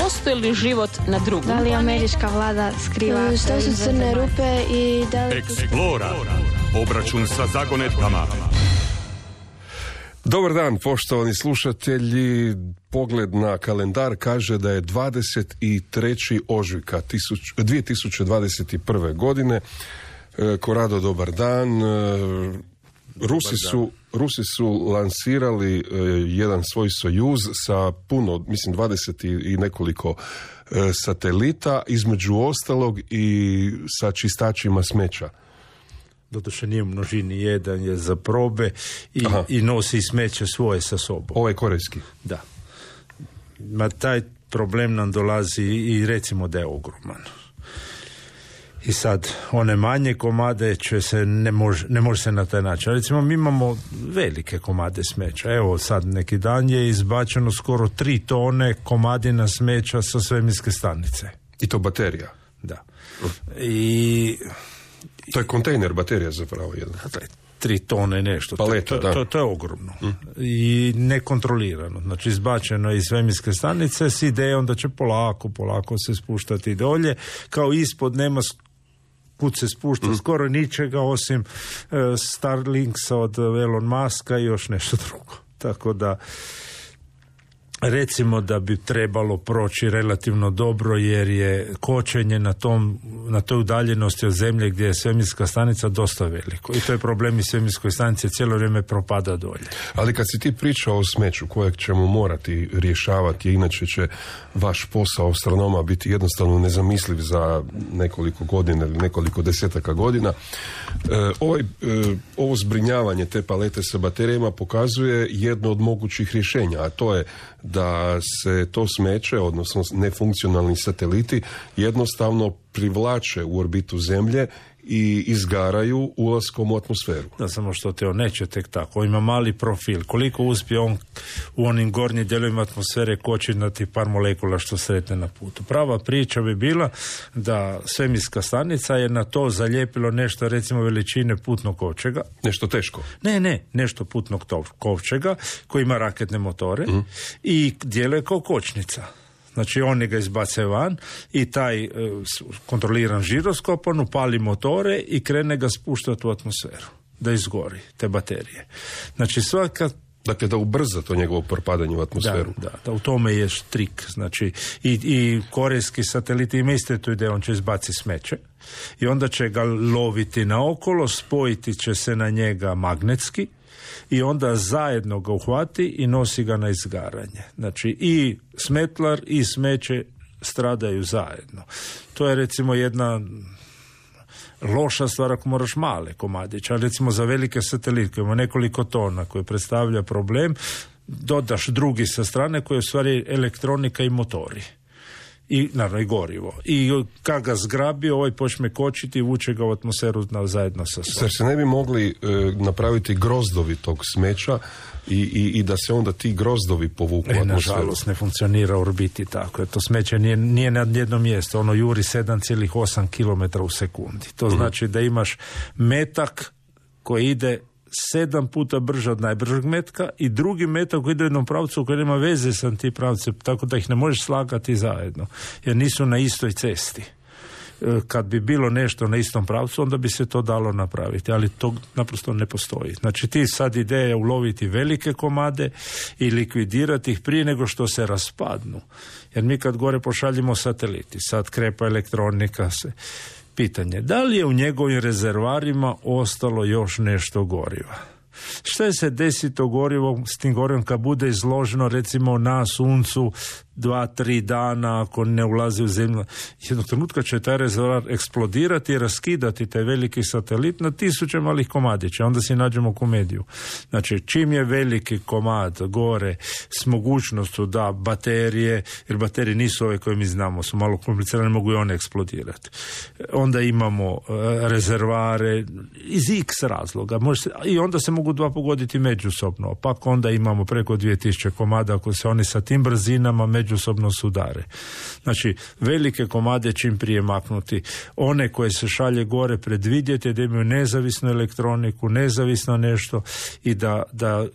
postoji li život na drugom? Da li američka vlada skriva? Što su crne rupe i da li... Explora. Obračun sa zagonetkama. Dobar dan, poštovani slušatelji. Pogled na kalendar kaže da je 23. ožujka 2021. godine. Korado, dobar dan. Rusi su lansirali jedan svoj Sojuz sa puno, mislim 20 i nekoliko satelita, između ostalog i sa čistačima smeća. Doduše nije u množini, jedan je za probe i nosi smeće svoje sa sobom. Ovaj korejski? Da. Ma taj problem nam dolazi i recimo da je ogroman. I sad, one manje komade će se, ne može se na taj način. Recimo, mi imamo velike komade smeća. Evo, sad neki dan je izbačeno skoro 3 tone komadina smeća sa svemirske stanice. I to baterija? Da. I... To je kontejner baterija zapravo jedan. Dakle, 3 tone nešto. Paleta, to je ogromno. I nekontrolirano. Znači, izbačeno iz svemirske stanice s idejom da će polako se spuštati dolje. Kao ispod nema kud se spušta skoro ničega osim Starlinksa od Elon Muska i još nešto drugo. Tako da recimo da bi trebalo proći relativno dobro jer je kočenje na toj udaljenosti od zemlje gdje je svemirska stanica dosta veliko. I to je problem i svemirskoj stanice, cijelo vrijeme propada dolje. Ali kad si ti pričao o smeću kojeg ćemo morati rješavati, inače će vaš posao astronoma biti jednostavno nezamisliv za nekoliko godina ili nekoliko desetaka godina, ovo zbrinjavanje te palete sa baterijama pokazuje jedno od mogućih rješenja, a to je da se to smeće, odnosno nefunkcionalni sateliti, jednostavno privlače u orbitu Zemlje i izgaraju ulaskom u atmosferu. Da, samo što te on neće tek tako. On ima mali profil. Koliko uspije on u onim gornjim dijelovima atmosfere kočiti na tih par molekula što sretne na putu. Prava priča bi bila da svemirska stanica je na to zalijepilo nešto, recimo veličine putnog kovčega. Nešto teško? Ne, nešto putnog kovčega koji ima raketne motore i djeluje kao kočnica. Znači oni ga izbace van i taj kontroliran žiroskop, on upali motore i krene ga spuštati u atmosferu, da izgori te baterije. Znači svaka... Dakle, da ubrza to njegovo propadanje u atmosferu. Da, u tome je trik. Znači, i korejski sateliti ima isto tu ideju, on će izbaciti smeće i onda će ga loviti naokolo, spojiti će se na njega magnetski i onda zajedno ga uhvati i nosi ga na izgaranje. Znači, i smetlar i smeće stradaju zajedno. To je recimo jedna loša stvar ako moraš male komadiće, ali recimo za velike satelite koji ima nekoliko tona koje predstavlja problem, dodaš drugi sa strane koji je u stvari elektronika i motori. I naravno i gorivo. I kad ga zgrabi, ovaj počne kočiti i vuče ga u atmosferu zajedno sa sobom. Zar se ne bi mogli napraviti grozdovi tog smeća i da se onda ti grozdovi povuku u atmosferu? Nažalost, ne funkcionira u orbiti tako. To smeće nije na jednom mjestu. Ono juri 7,8 km u sekundi. To znači da imaš metak koji ide 7 puta brže od najbržeg metka i drugi metak koji ide u jednom pravcu koji nema veze sa tim pravcem, tako da ih ne možeš slagati zajedno, jer nisu na istoj cesti. Kad bi bilo nešto na istom pravcu, onda bi se to dalo napraviti, ali to naprosto ne postoji. Znači ti sad ideja je uloviti velike komade i likvidirati ih prije nego što se raspadnu. Jer mi kad gore pošaljimo sateliti, sad krepa elektronika se... Pitanje, da li je u njegovim rezervarima ostalo još nešto goriva? Šta je se desi to gorivo s tim gorivom kad bude izloženo recimo na suncu 2-3 dana ako ne ulazi u zemlju? Jednog trenutka će taj rezervoar eksplodirati i raskidati taj veliki satelit na 1000 malih komadića. Onda si nađemo komediju. Znači, čim je veliki komad gore s mogućnostu da baterije, jer baterije nisu ove koje mi znamo, su malo komplicirane, mogu i one eksplodirati. Onda imamo rezervare iz x razloga. I onda se mogu dva pogoditi međusobno. Pa onda imamo preko 2000 komada ako se oni sa tim brzinama međusobno sudare. Znači, velike komade čim prije maknuti. One koje se šalje gore predvidjeti da imaju nezavisnu elektroniku, nezavisno nešto i da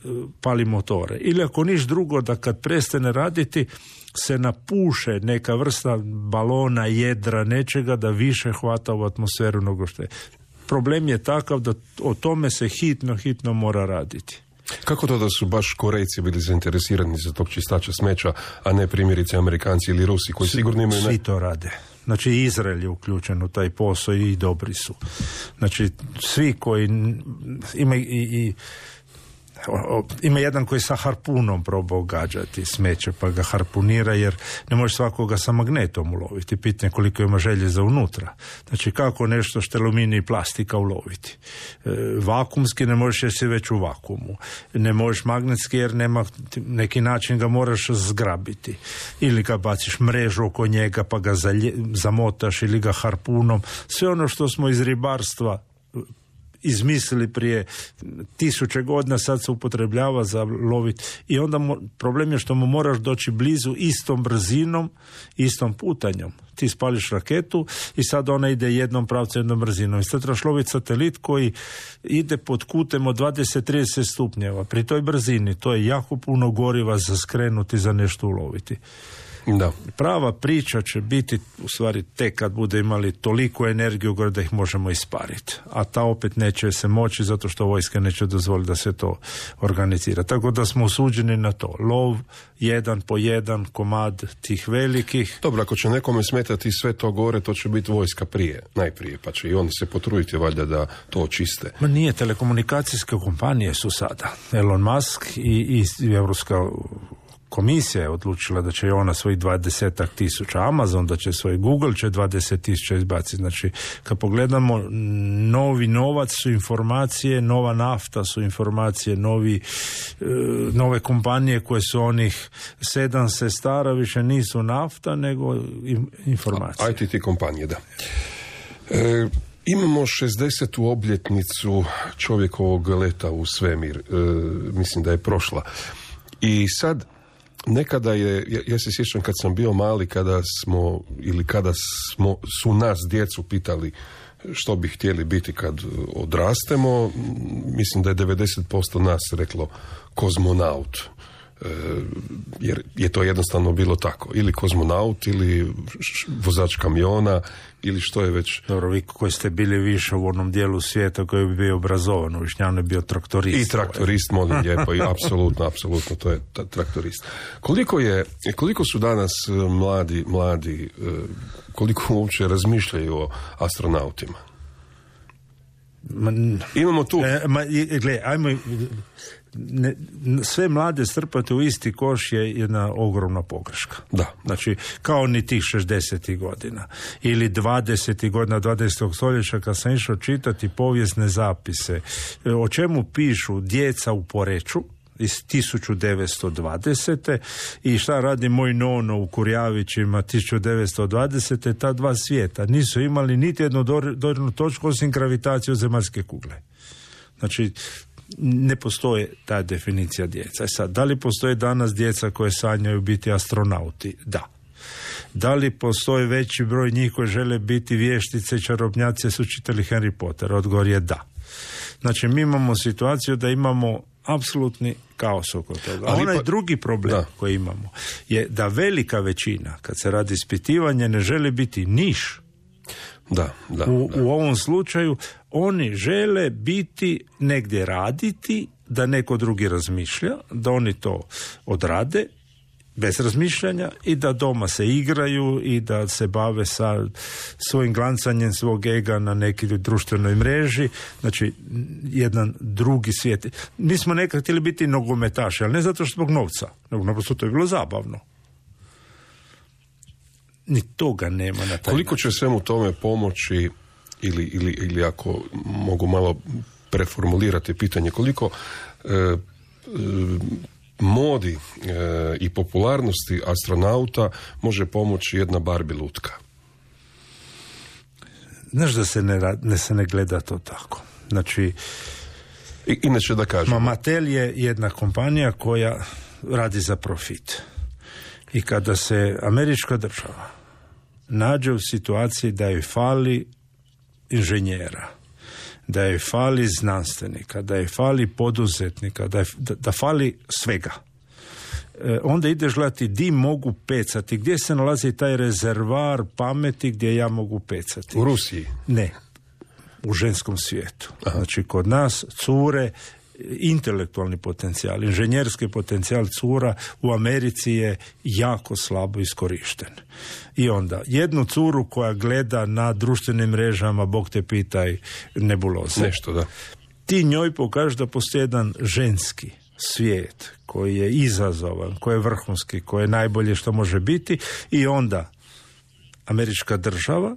pali motore. Ili ako niš drugo, da kad prestane raditi, se napuše neka vrsta balona, jedra, nečega da više hvata u atmosferu nego što je. Problem je takav da o tome se hitno mora raditi. Kako to da su baš Korejci bili zainteresirani za tog čistača smeća, a ne primjerice Amerikanci ili Rusi koji sigurno imaju... Svi to rade. Znači Izrael je uključen u taj posao i dobri su. Znači svi koji ima jedan koji sa harpunom probao gađati smeće pa ga harpunira jer ne može svakoga sa magnetom uloviti. Pitanje koliko ima željeza unutra. Znači kako nešto što je aluminij i plastika uloviti. Vakumski ne možeš jer si već u vakuumu. Ne možeš magnetski jer nema neki način ga moraš zgrabiti. Ili ga baciš mrežu oko njega pa ga zamotaš ili ga harpunom. Sve ono što smo iz ribarstva izmislili prije 1000 godina, sad se upotrebljava za loviti. I onda problem je što mu moraš doći blizu istom brzinom, istom putanjom. Ti spališ raketu i sad ona ide jednom pravcem, jednom brzinom. I sad trebaš loviti satelit koji ide pod kutem od 20-30 stupnjeva. Pri toj brzini to je jako puno goriva za skrenuti, za nešto uloviti. Da. Prava priča će biti u stvari tek kad bude imali toliko energiju gore da ih možemo ispariti. A ta opet neće se moći zato što vojska neće dozvoliti da se to organizira. Tako da smo osuđeni na to. Lov jedan po jedan komad tih velikih. Dobro, ako će nekome smetati sve to gore, to će biti vojska najprije, pa će i oni se potruditi valjda da to očiste. Ma nije, telekomunikacijske kompanije su sada. Elon Musk i Europska komisija je odlučila da će i ona svojih 20,000, Amazon da će svoj, Google će 20,000 izbaciti. Znači, kad pogledamo, novi novac su informacije, nova nafta su informacije, nove kompanije koje su onih 7 sestara više nisu nafta, nego informacije. ITT kompanije, da. Imamo 60. obljetnicu čovjekovog leta u svemir. Mislim da je prošla. I sad nekada ja se sjećam kad sam bio mali, kada su nas djecu pitali što bi htjeli biti kad odrastemo, mislim da je 90% nas reklo kozmonaut. Jer je to jednostavno bilo tako. Ili kozmonaut, ili vozač kamiona, ili što je već... Dobro, vi koji ste bili više u onom dijelu svijeta koji bi bio obrazovan, u Višnjanu je bio traktorist. I traktorist, molim lijepo, i apsolutno, to je traktorist. Koliko su danas mladi, koliko uopće razmišljaju o astronautima? Imamo tu... ajmo... sve mlade strpati u isti koš je jedna ogromna pogreška. Da. Znači, kao ni tih 60. godina ili 20. godina 20. stoljeća kad sam išao čitati povijesne zapise o čemu pišu djeca u Poreču iz 1920. i šta radi moj nono u Kurjavićima 1920. Ta dva svijeta nisu imali niti jednu dodirnu točku osim gravitaciju zemaljske kugle. Znači, ne postoje ta definicija djeca. Sad, da li postoje danas djeca koje sanjaju biti astronauti? Da. Da li postoji veći broj njih koji žele biti vještice, čarobnjaci, su čitali Harry Potter? Odgovor je da. Znači, mi imamo situaciju da imamo apsolutni kaos oko toga. A onaj drugi problem koji imamo je da velika većina, kad se radi ispitivanje, ne želi biti niš. U ovom slučaju oni žele biti negdje raditi, da neko drugi razmišlja, da oni to odrade bez razmišljanja i da doma se igraju i da se bave sa svojim glancanjem svog ega na nekoj društvenoj mreži. Znači, jedan drugi svijet. Mi smo nekad htjeli biti nogometaši, ali ne zato što zbog novca, nego naprosto to je bilo zabavno. Ni toga nema na taj Koliko će svemu tome pomoći ili ako mogu malo preformulirati pitanje, koliko modi i popularnosti astronauta može pomoći jedna Barbie lutka? Znaš da se ne gleda to tako. Znači, inače da kažem, Mattel je jedna kompanija koja radi za profit. I kada se američka država nađe u situaciji da joj fali inženjera, da joj fali znanstvenika, da joj fali poduzetnika, da fali svega. onda ideš gledati di mogu pecati, gdje se nalazi taj rezervar pameti gdje ja mogu pecati. U Rusiji? Ne, u ženskom svijetu. Aha. Znači, kod nas cure, intelektualni potencijal, inženjerski potencijal cura u Americi je jako slabo iskorišten. I onda, jednu curu koja gleda na društvenim mrežama, Bog te pitaj, nebuloze. Nešto, da. Ti njoj pokažeš da postoji jedan ženski svijet koji je izazovan, koji je vrhunski, koji je najbolje što može biti, i onda američka država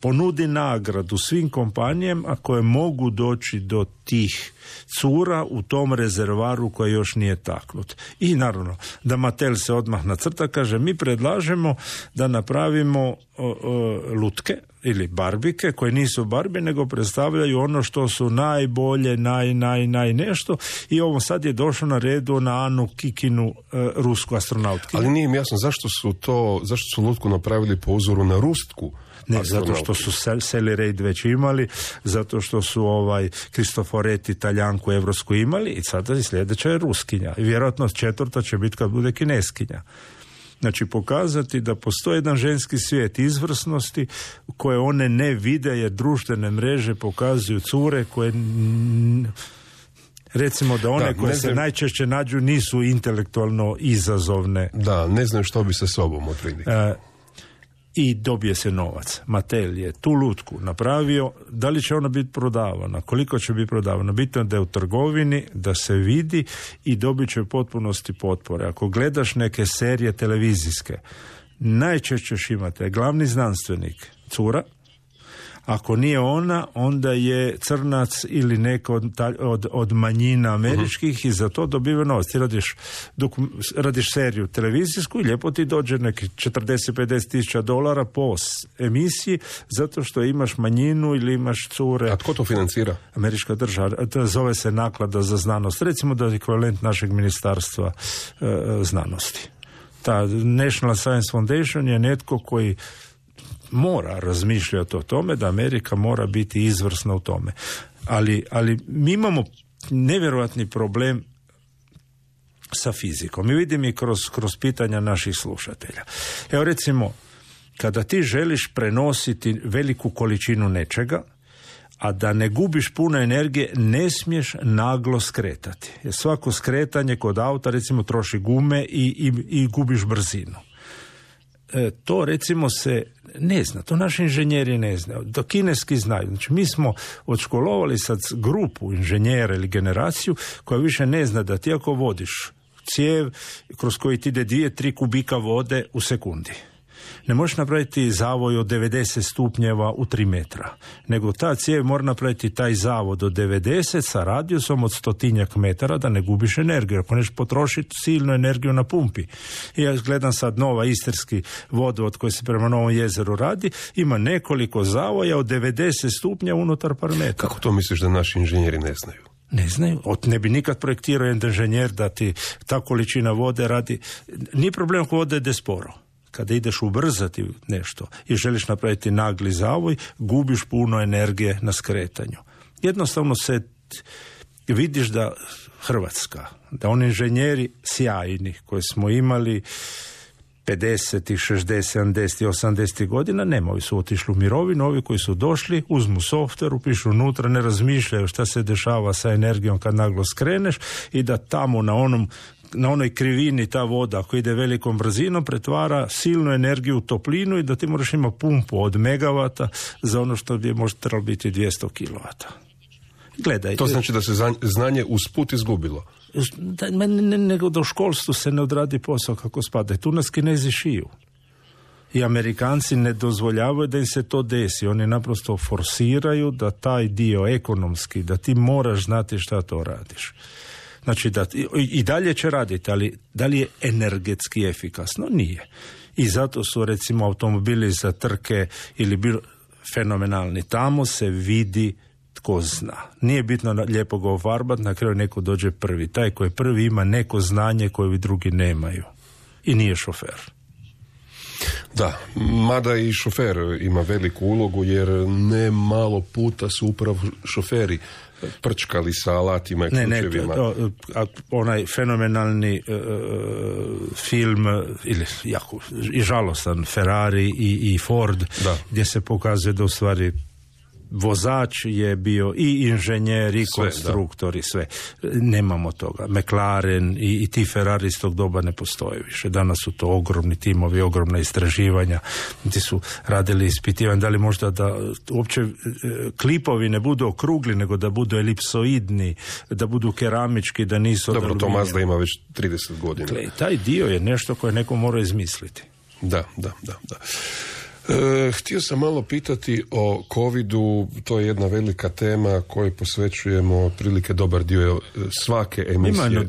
ponudi nagradu svim kompanijama koje mogu doći do tih cura u tom rezervaru koji još nije taknut. I naravno da Mattel se odmah nacrta, kaže mi predlažemo da napravimo lutke ili barbike koje nisu barbe nego predstavljaju ono što su najbolje, naj nešto, i ovo sad je došlo na redu na Anu Kikinu, rusku astronautkinju. Ali nije mi jasno zašto su lutku napravili po uzoru na rusku. Ne, zato što su Sally Ride već imali, zato što su Cristoforetti Talijanku evropsku imali, i sada sljedeća je ruskinja. I vjerojatno četvrta će biti kad bude kineskinja. Znači, pokazati da postoji jedan ženski svijet izvrsnosti koje one ne vide, jer društvene mreže pokazuju cure koje, recimo da one koje se najčešće nađu nisu intelektualno izazovne. Da, ne znaju što bi sa sobom otprilike. I dobije se novac. Mattel je tu lutku napravio, da li će ona biti prodavana, koliko će biti prodavana, bitno je da je u trgovini, da se vidi, i dobit će u potpunosti potpore. Ako gledaš neke serije televizijske, najčešće imate glavni znanstvenik cura, ako nije ona, onda je crnac ili neko od manjina američkih, i za to dobiva novac. Ti radiš seriju televizijsku i lijepo ti dođe neki 40-50 tisuća dolara po emisiji, zato što imaš manjinu ili imaš cure. A tko to financira? Američka država. To zove se naklada za znanost. Recimo da je ekvivalent našeg ministarstva znanosti. Ta National Science Foundation je netko koji mora razmišljati o tome da Amerika mora biti izvrsna u tome. Ali mi imamo nevjerojatni problem sa fizikom. Mi vidimo i kroz pitanja naših slušatelja. Evo recimo, kada ti želiš prenositi veliku količinu nečega, a da ne gubiš puno energije, ne smiješ naglo skretati. Jer svako skretanje kod auta recimo troši gume i gubiš brzinu. To recimo se ne zna, to naši inženjeri ne znaju, to kineski znaju. Znači mi smo odškolovali sad grupu inženjera ili generaciju koja više ne zna da ti ako vodiš cijev kroz koji ti ide 2-3 kubika vode u sekundi, ne možeš napraviti zavoj od 90 stupnjeva u 3 metra, nego ta cijev mora napraviti taj zavod od 90 sa radijusom od 100 metara da ne gubiš energiju, ako neš potrošiti silnu energiju na pumpi. I ja gledam sad nova istarski vodovod koji se prema Novom jezeru radi, ima nekoliko zavoja od 90 stupnja unutar par metara. Kako to misliš da naši inženjeri ne znaju? Ne znaju. Ne bi nikad projektirao jedan inženjer da ti ta količina vode radi. Nije problem ako vode ide sporo. Kada ideš ubrzati nešto i želiš napraviti nagli zavoj, gubiš puno energije na skretanju. Jednostavno se vidiš da Hrvatska, da oni inženjeri sjajni koje smo imali 50, 60, 70, 80 godina, ovi su otišli u mirovinu, ovi koji su došli, uzmu softver, upišu unutra, ne razmišljaju šta se dešava sa energijom kad naglo skreneš, i da tamo na onoj krivini ta voda ako ide velikom brzinom pretvara silnu energiju u toplinu i da ti moraš imati pumpu od megavata za ono što bi možda trebalo biti 200 kilovata. Gledaj. To znači da se znanje usput izgubilo. Nego do školstvu se ne odradi posao kako spada. Tu nas Kinezi šiju. I Amerikanci ne dozvoljavaju da im se to desi. Oni naprosto forsiraju da taj dio ekonomski, da ti moraš znati šta to radiš. Znači da i dalje će raditi, ali da li je energetski efikasno? Nije. I zato su recimo automobili za trke ili fenomenalni. Tamo se vidi tko zna. Nije bitno lijepo ga ofarbati, na kraju neko dođe prvi. Taj koji prvi ima neko znanje koje vi drugi nemaju. I nije šofer. Da, mada i šofer ima veliku ulogu, jer ne malo puta su upravo šoferi prčkali sa alatima i ključevima. Onaj fenomenalni film, ili jako i žalostan, Ferrari i Ford, gdje se pokazuje da u stvari vozač je bio i inženjer i konstruktor i sve. Nemamo toga. McLaren i ti Ferrari iz tog doba ne postoje više. Danas su to ogromni timovi, ogromna istraživanja. Ti su radili ispitivanje da li možda da uopće klipovi ne budu okrugli, nego da budu elipsoidni, da budu keramički, da nisu... Dobro, to Mazda ima već 30 godina. Taj dio je nešto koje neko mora izmisliti. Da. Htio sam malo pitati o covidu, to je jedna velika tema kojoj posvećujemo prilike dobar dio svake emisije. Ima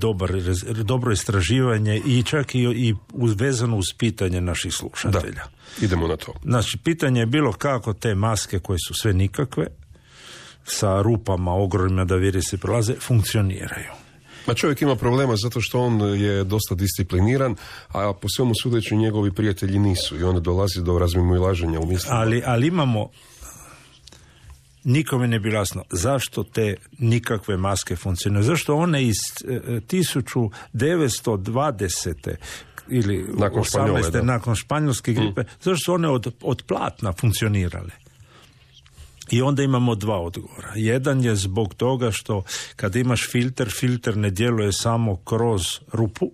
dobro istraživanje i čak i vezano uz pitanje naših slušatelja. Da, idemo na to. Znači, pitanje je bilo kako te maske koje su sve nikakve, sa rupama ogromnima da virusi prolaze, funkcioniraju. Ma čovjek ima problema zato što on je dosta discipliniran, a po svemu sudeći njegovi prijatelji nisu i onda dolazi do razmimoilaženja u mislima. Ali imamo, nikome ne bi jasno zašto te nikakve maske funkcioniraju. Zašto one iz 1920. ili nakon 18. nakon španjolske gripe, zašto su one od platna funkcionirale? I onda imamo dva odgovora. Jedan je zbog toga što kad imaš filter ne djeluje samo kroz rupu,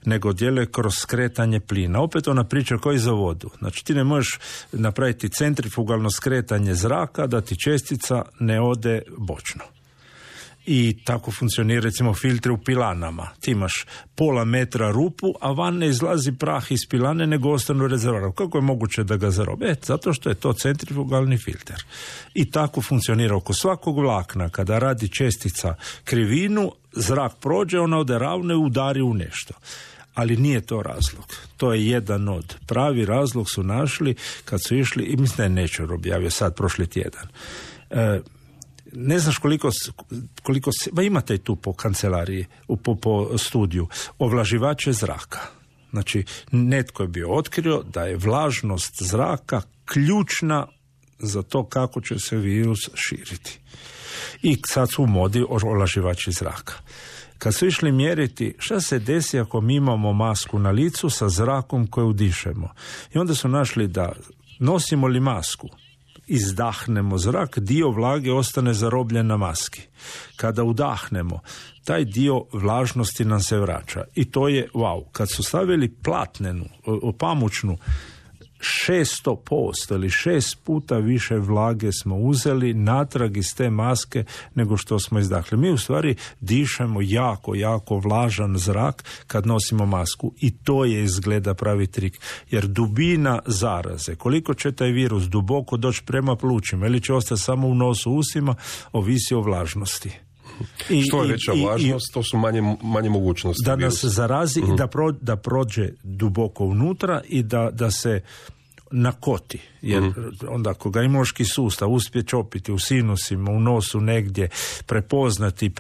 nego djeluje kroz skretanje plina. Opet ona priča kao i za vodu. Znači ti ne možeš napraviti centrifugalno skretanje zraka da ti čestica ne ode bočno. I tako funkcionira recimo filtre u pilanama. Ti imaš pola metra rupu, a van ne izlazi prah iz pilane, nego ostane u rezervoaru. Kako je moguće da ga zarobe? Zato što je to centrifugalni filter. I tako funkcionira oko svakog vlakna. Kada radi čestica krivinu, zrak prođe, ona ode ravno i udari u nešto. Ali nije to razlog. To je jedan od. Pravi razlog su našli kad su išli, i mislim da je Nature objavio sad prošli tjedan. Ne znaš koliko imate i tu po kancelariji, po studiju, ovlaživače zraka. Znači, netko je bio otkrio da je vlažnost zraka ključna za to kako će se virus širiti. I sad su u modi ovlaživači zraka. Kad su išli mjeriti šta se desi ako mi imamo masku na licu sa zrakom koju udišemo. I onda su našli da nosimo li masku, izdahnemo zrak, dio vlage ostane zarobljen na maski. Kada udahnemo, taj dio vlažnosti nam se vraća. I to je wow. Kad su stavili platnenu, pamučnu, 600% ili 6 puta više vlage smo uzeli natrag iz te maske nego što smo izdahli. Mi u stvari dišemo jako vlažan zrak kad nosimo masku i to je izgleda pravi trik. Jer dubina zaraze, koliko će taj virus duboko doći prema plućima ili će ostati samo u nosu, usima, ovisi o vlažnosti. Što je veća vlažnost, to su manje mogućnosti. Da nas zarazi i da prođe duboko unutra i da se nakoti. Jer onda ako ga imunološki sustav uspije čopiti u sinusima, u nosu negdje, prepoznati,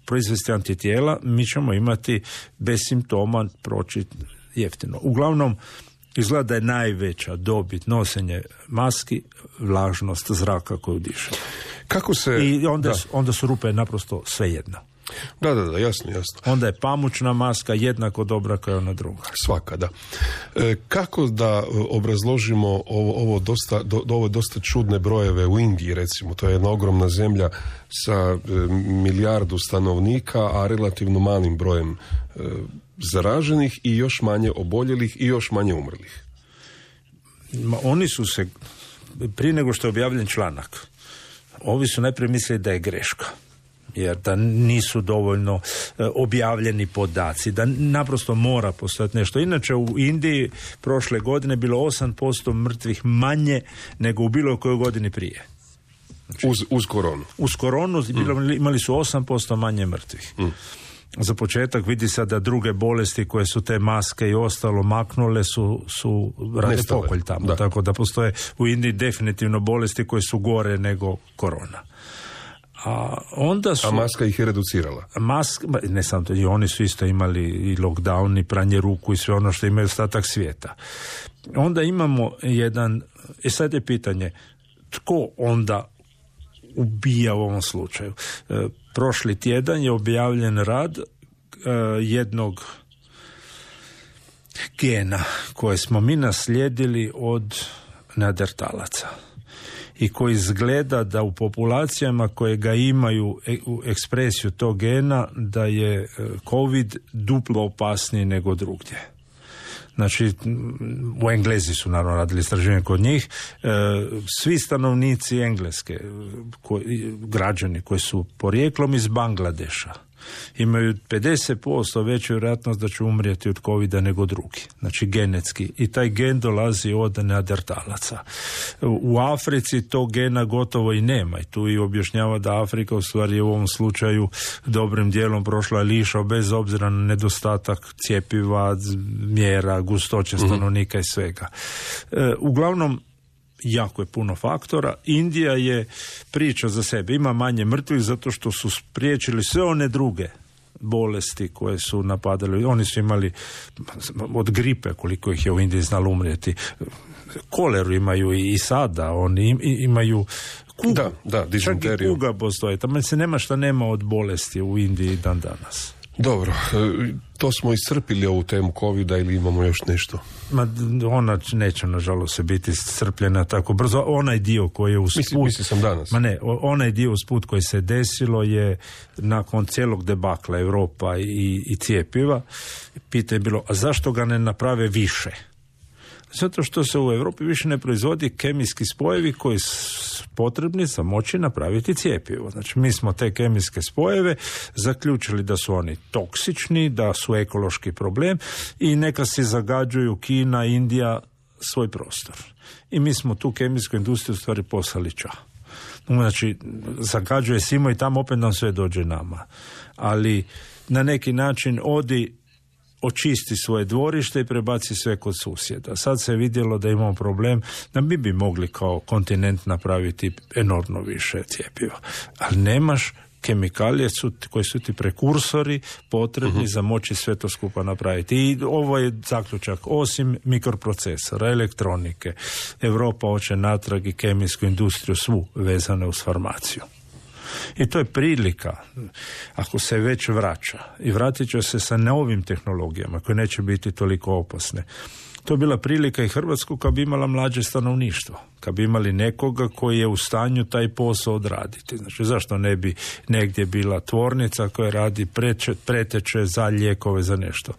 proizvesti antitijela, mi ćemo imati bez simptoma proći jeftino. Uglavnom, izgleda da je najveća dobit nosenje maski vlažnost zraka koju diše. Kako se... I onda su rupe naprosto svejedno. Da, jasno. Onda je pamučna maska jednako dobra kao ona druga. Svaka, da. Kako da obrazložimo ovo dosta čudne brojeve u Indiji, recimo, to je jedna ogromna zemlja sa milijardu stanovnika, a relativno malim brojem zaraženih i još manje oboljelih i još manje umrlih. Oni su se, prije nego što je objavljen članak, ovi su najprije mislili da je greška. Jer da nisu dovoljno objavljeni podaci, da naprosto mora postojati nešto. Inače u Indiji prošle godine bilo 8% mrtvih manje nego u bilo kojoj godini prije. Znači, uz koronu. Uz koronu imali su 8% manje mrtvih. Za početak vidi se da druge bolesti koje su te maske i ostalo maknule su rade pokolj tamo. Da. Tako da postoje u Indiji definitivno bolesti koje su gore nego korona. A onda su... A maska ih je reducirala? Ne samo to, i oni su isto imali i lockdown, i pranje ruku i sve ono što imaju ostatak svijeta. Onda imamo jedan... sad je pitanje, tko onda ubija u ovom slučaju? Prošli tjedan je objavljen rad jednog gena koje smo mi naslijedili od neandertalaca i koji izgleda da u populacijama koje ga imaju u ekspresiju tog gena da je COVID duplo opasniji nego drugdje. Znači, u Englezi su naravno radili istraživanje kod njih. Svi stanovnici Engleske, građani koji su porijeklom iz Bangladeša, imaju 50% veću vjerojatnost da će umrijeti od covida nego drugi. Znači genetski. I taj gen dolazi od neandertalaca. U Africi tog gena gotovo i nema. I tu i objašnjava da Afrika u stvari u ovom slučaju dobrim dijelom prošla lišo bez obzira na nedostatak cjepiva, mjera, gustoće stanovnika i svega. Uglavnom, jako je puno faktora. Indija je priča za sebe. Ima manje mrtvih zato što su spriječili sve one druge bolesti koje su napadali. Oni su imali od gripe, koliko ih je u Indiji znalo umrijeti. Koleru imaju i sada. Oni imaju kugu. Da, dizenteriju. Čak i kuga postoje. Tamo se nema šta nema od bolesti u Indiji dan danas. Dobro, to smo iscrpili ovu temu covida ili imamo još nešto? Ona neće nažalost se biti iscrpljena tako brzo. Onaj dio koji je usput... Mislio sam danas. Onaj dio usput koji se desilo je nakon cijelog debakla Europa i cjepiva. Pitanje je bilo, a zašto ga ne naprave više? Zato što se u Europi više ne proizvodi kemijski spojevi koji su potrebni za moći napraviti cjepivo. Znači, mi smo te kemijske spojeve zaključili da su oni toksični, da su ekološki problem i neka se zagađuju Kina, Indija svoj prostor. I mi smo tu kemijsku industriju u stvari poslali ča. Znači, zagađuje svima i tamo opet nam sve dođe nama. Ali na neki način očisti svoje dvorište i prebaci sve kod susjeda. Sad se je vidjelo da imamo problem da mi bi mogli kao kontinent napraviti enormno više cjepiva. Ali nemaš kemikalije koji su ti prekursori potrebni za moći sve to skupa napraviti. I ovo je zaključak. Osim mikroprocesora, elektronike, Europa hoće natrag i kemijsku industriju svu vezane uz farmaciju. I to je prilika, ako se već vraća, i vratit će se sa novim tehnologijama koje neće biti toliko opasne. To je bila prilika i Hrvatsku kad bi imala mlađe stanovništvo, kad bi imali nekoga koji je u stanju taj posao odraditi. Znači, zašto ne bi negdje bila tvornica koja radi preteče za lijekove, za nešto?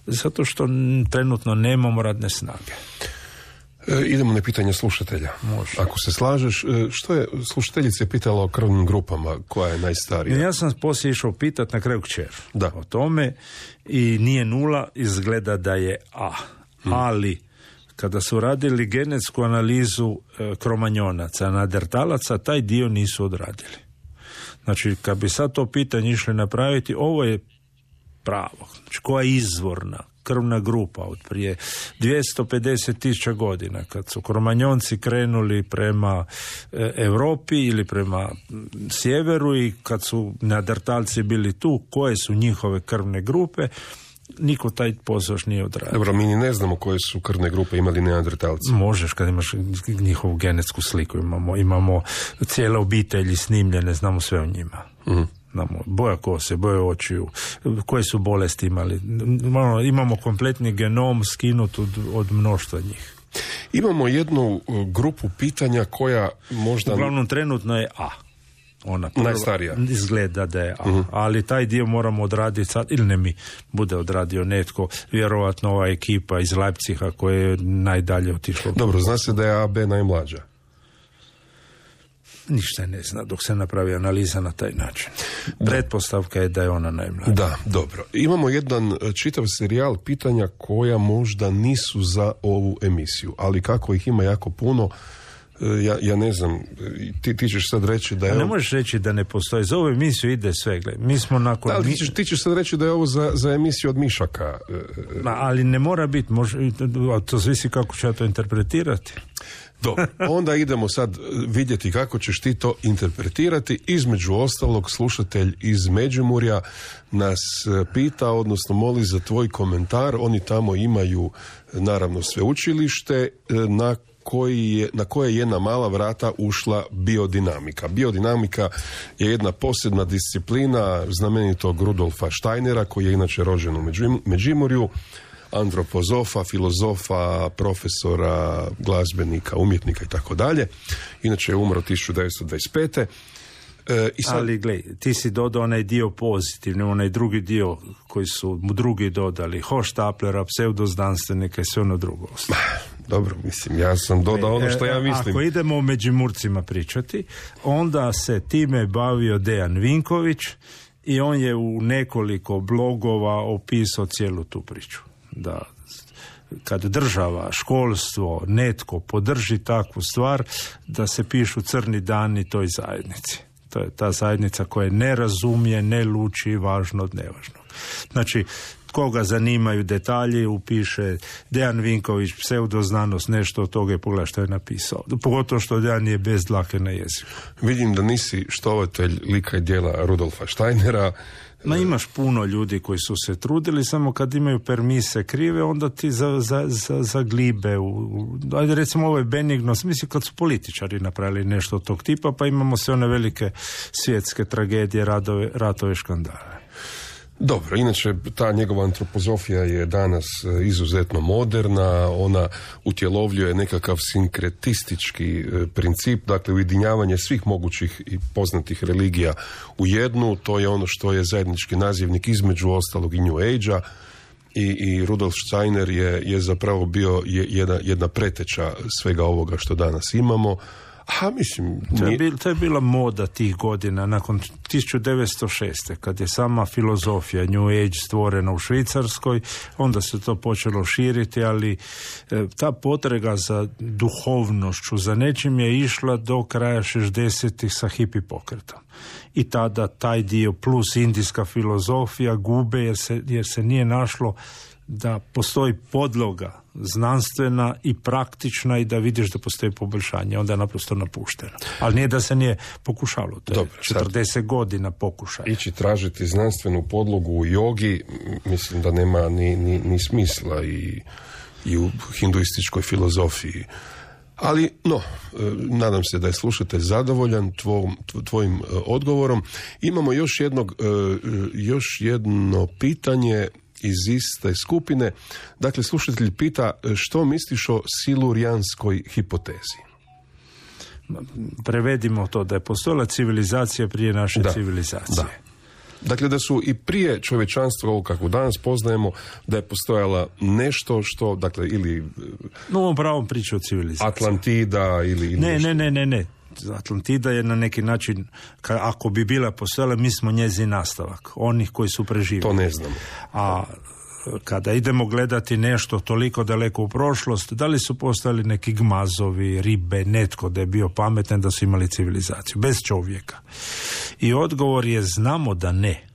Zato što trenutno nemamo radne snage. Idemo na pitanje slušatelja. Može. Ako se slažeš, što je slušateljica pitala o krvnim grupama, koja je najstarija? Ja sam poslije išao pitati na kraju kćer o tome i nije 0, izgleda da je A. Ali kada su radili genetsku analizu kromanjonaca, neandertalaca, taj dio nisu odradili. Znači, kad bi sad to pitanje išli napraviti, ovo je pravo. Znači, koja je izvorna krvna grupa od prije 250.000 godina, kad su kromanjonci krenuli prema Europi ili prema sjeveru i kad su neandertalci bili tu, koje su njihove krvne grupe, niko taj posao nije odradio. Dobro, mi ne znamo koje su krvne grupe imali neandertalci. Možeš, kad imaš njihovu genetsku sliku, imamo cijele obitelji snimljene, znamo sve o njima. Boja kose, boja očiju, koje su bolesti imali. Imamo kompletni genom skinut od mnoštva njih. Imamo jednu grupu pitanja koja možda... Uglavnom trenutno je A. Ona najstarija. Izgleda da je A. Ali taj dio moramo odraditi sad, ili ne mi, bude odradio netko, vjerovatno ova ekipa iz Leipziga koja je najdalje otišla. Dobro, zna se da je AB najmlađa. Ništa ne zna dok se napravi analiza na taj način. Pretpostavka je da je ona najmlađa. Da, dobro. Imamo jedan čitav serijal pitanja koja možda nisu za ovu emisiju, ali kako ih ima jako puno, ja ne znam, ti ćeš sad reći da je... Ne možeš reći da ne postoji. Za ovu emisiju ide sve, gledaj. Mi smo nakon... Da, ti ćeš sad reći da je ovo za emisiju od Mišaka. Ali ne mora biti, to zavisi kako ću ja to interpretirati. Dobro, onda idemo sad vidjeti kako ćeš ti to interpretirati. Između ostalog, slušatelj iz Međimurja nas pita, odnosno moli za tvoj komentar. Oni tamo imaju, naravno, sveučilište na koje je na mala vrata ušla biodinamika. Biodinamika je jedna posebna disciplina znamenitog Rudolfa Steinera, koji je inače rođen u Međimurju, antropozofa, filozofa, profesora, glazbenika, umjetnika i tako dalje. Inače je umro 1925. Ali glej, ti si dodao onaj dio pozitivni, onaj drugi dio koji su mu drugi dodali, Hochstaplera, pseudoznanstvenika i sve ono drugo. Dobro, mislim, ja sam dodao ono što ja mislim. Ako idemo o Međimurcima pričati, onda se time bavio Dejan Vinković i on je u nekoliko blogova opisao cijelu tu priču. Da kad država, školstvo, netko podrži takvu stvar, da se pišu crni dani toj zajednici. To je ta zajednica koja ne razumije, ne luči važno od nevažnog. Znači, koga zanimaju detalji, upiše Dejan Vinković, pseudoznanost, nešto od toga i pogleda što je napisao. Pogotovo što Dejan je bez dlake na jeziku. Vidim da nisi štovatelj lika i djela Rudolfa Steinera. Imaš puno ljudi koji su se trudili, samo kad imaju permise krive, onda ti zaglibe. Ajde, recimo, ovo je benigno, mislim, kad su političari napravili nešto od tog tipa, pa imamo sve one velike svjetske tragedije, ratove, škandale. Dobro, inače ta njegova antropozofija je danas izuzetno moderna, ona utjelovljuje nekakav sinkretistički princip, dakle ujedinjavanje svih mogućih i poznatih religija u jednu, to je ono što je zajednički nazivnik između ostalog i New Age-a i Rudolf Steiner je zapravo bio jedna preteča svega ovoga što danas imamo. Mislim, to je bila moda tih godina, nakon 1906. kad je sama filozofija New Age stvorena u Švicarskoj, onda se to počelo širiti, ali ta potrega za duhovnošću, za nečim je išla do kraja 60-ih sa hippie pokretom. I tada taj dio plus indijska filozofija gube jer se nije našlo da postoji podloga znanstvena i praktična i da vidiš da postoji poboljšanje, onda je naprosto napušteno. Ali nije da se nije pokušalo, to je 40 godina pokušaja. Ići tražiti znanstvenu podlogu u jogi, mislim da nema ni smisla i u hinduističkoj filozofiji. Ali, nadam se da je slušatelj zadovoljan tvojim odgovorom. Imamo još jedno pitanje iz iste skupine. Dakle, slušatelj pita što misliš o silurijanskoj hipotezi? Prevedimo to, da je postojala civilizacija prije naše civilizacije. Da. Dakle, da su i prije čovječanstva, ovo kako danas poznajemo, da je postojala nešto što, dakle, ili... No, pravom priču o civilizaciji. Atlantida ili Ne. Atlantida je na neki način, ako bi bila postojala, mi smo njezin nastavak, onih koji su preživjeli. To ne znamo. A kada idemo gledati nešto toliko daleko u prošlost, da li su postojali neki gmazovi, ribe, netko da je bio pametan, da su imali civilizaciju, bez čovjeka? I odgovor je znamo da ne.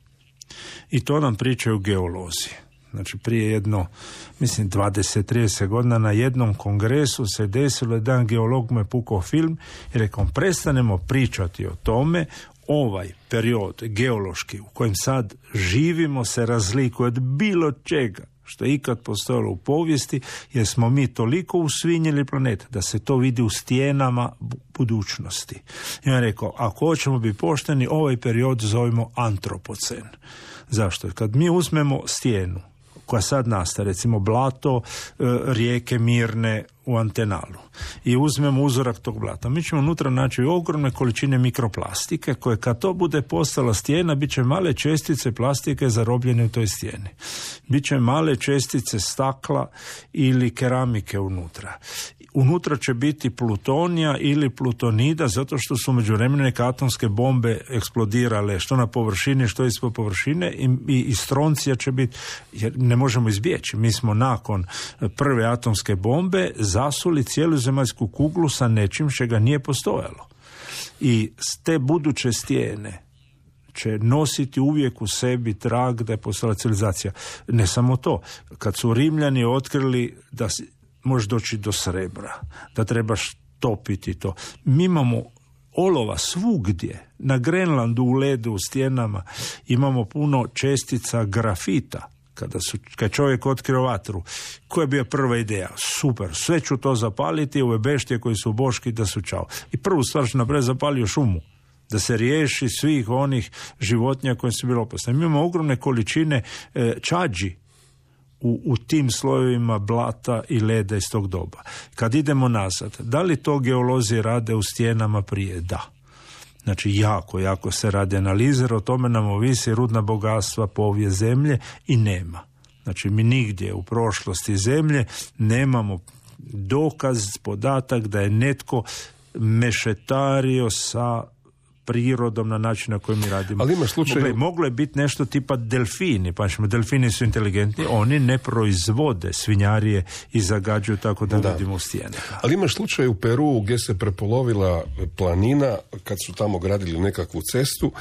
I to nam pričaju geolozi. Znači, prije 20-30 godina na jednom kongresu se desilo, jedan geolog me pukao film i rekao, prestanemo pričati o tome, ovaj period geološki u kojem sad živimo se razlikuje od bilo čega što je ikad postojalo u povijesti, jer smo mi toliko usvinjili planet da se to vidi u stijenama budućnosti. I on je rekao, ako hoćemo biti pošteni, ovaj period zovemo antropocen. Zašto? Kad mi uzmemo stijenu koja sad nastaje, recimo blato rijeke Mirne u Antenalu, i uzmemo uzorak tog blata, mi ćemo unutra naći ogromne količine mikroplastike koje kad to bude postala stijena, bit će male čestice plastike zarobljene u toj stijeni. Biće male čestice stakla ili keramike unutra. Unutra će biti plutonija ili plutonida, zato što su međuvremenu neke atomske bombe eksplodirale, što na površini, što ispod površine, i stroncija će biti, jer ne možemo izbjeći. Mi smo nakon prve atomske bombe zasuli cijelu zemaljsku kuglu sa nečim čega nije postojalo. I te buduće stijene će nositi uvijek u sebi trag da je postala civilizacija. Ne samo to. Kad su Rimljani otkrili da možeš doći do srebra, da trebaš topiti to. Mi imamo olova svugdje, na Grenlandu u ledu, u stijenama, imamo puno čestica grafita. Kad čovjek otkrio vatru, koja je bila prva ideja? Super, sve ću to zapaliti, ove beštije koji su boški da su čao. I prvu stvar što napred zapalio šumu, da se riješi svih onih životinja koje su bile opasne. Mi imamo ogromne količine čađi u tim slojevima blata i leda iz tog doba. Kad idemo nazad, da li to geolozi rade u stijenama prije? Da. Znači, jako se radi analize, o tome nam ovisi rudna bogatstva, povijest zemlje i nema. Znači, mi nigdje u prošlosti zemlje nemamo dokaz, podatak da je netko mešetario sa prirodom na način na koji mi radimo. Ali ima slučaj... Moglo je biti nešto tipa delfini, pa delfini su inteligentni, oni ne proizvode svinjarije i zagađuju tako da vidimo u stijene. Ali imaš slučaj u Peru gdje se prepolovila planina kad su tamo gradili nekakvu cestu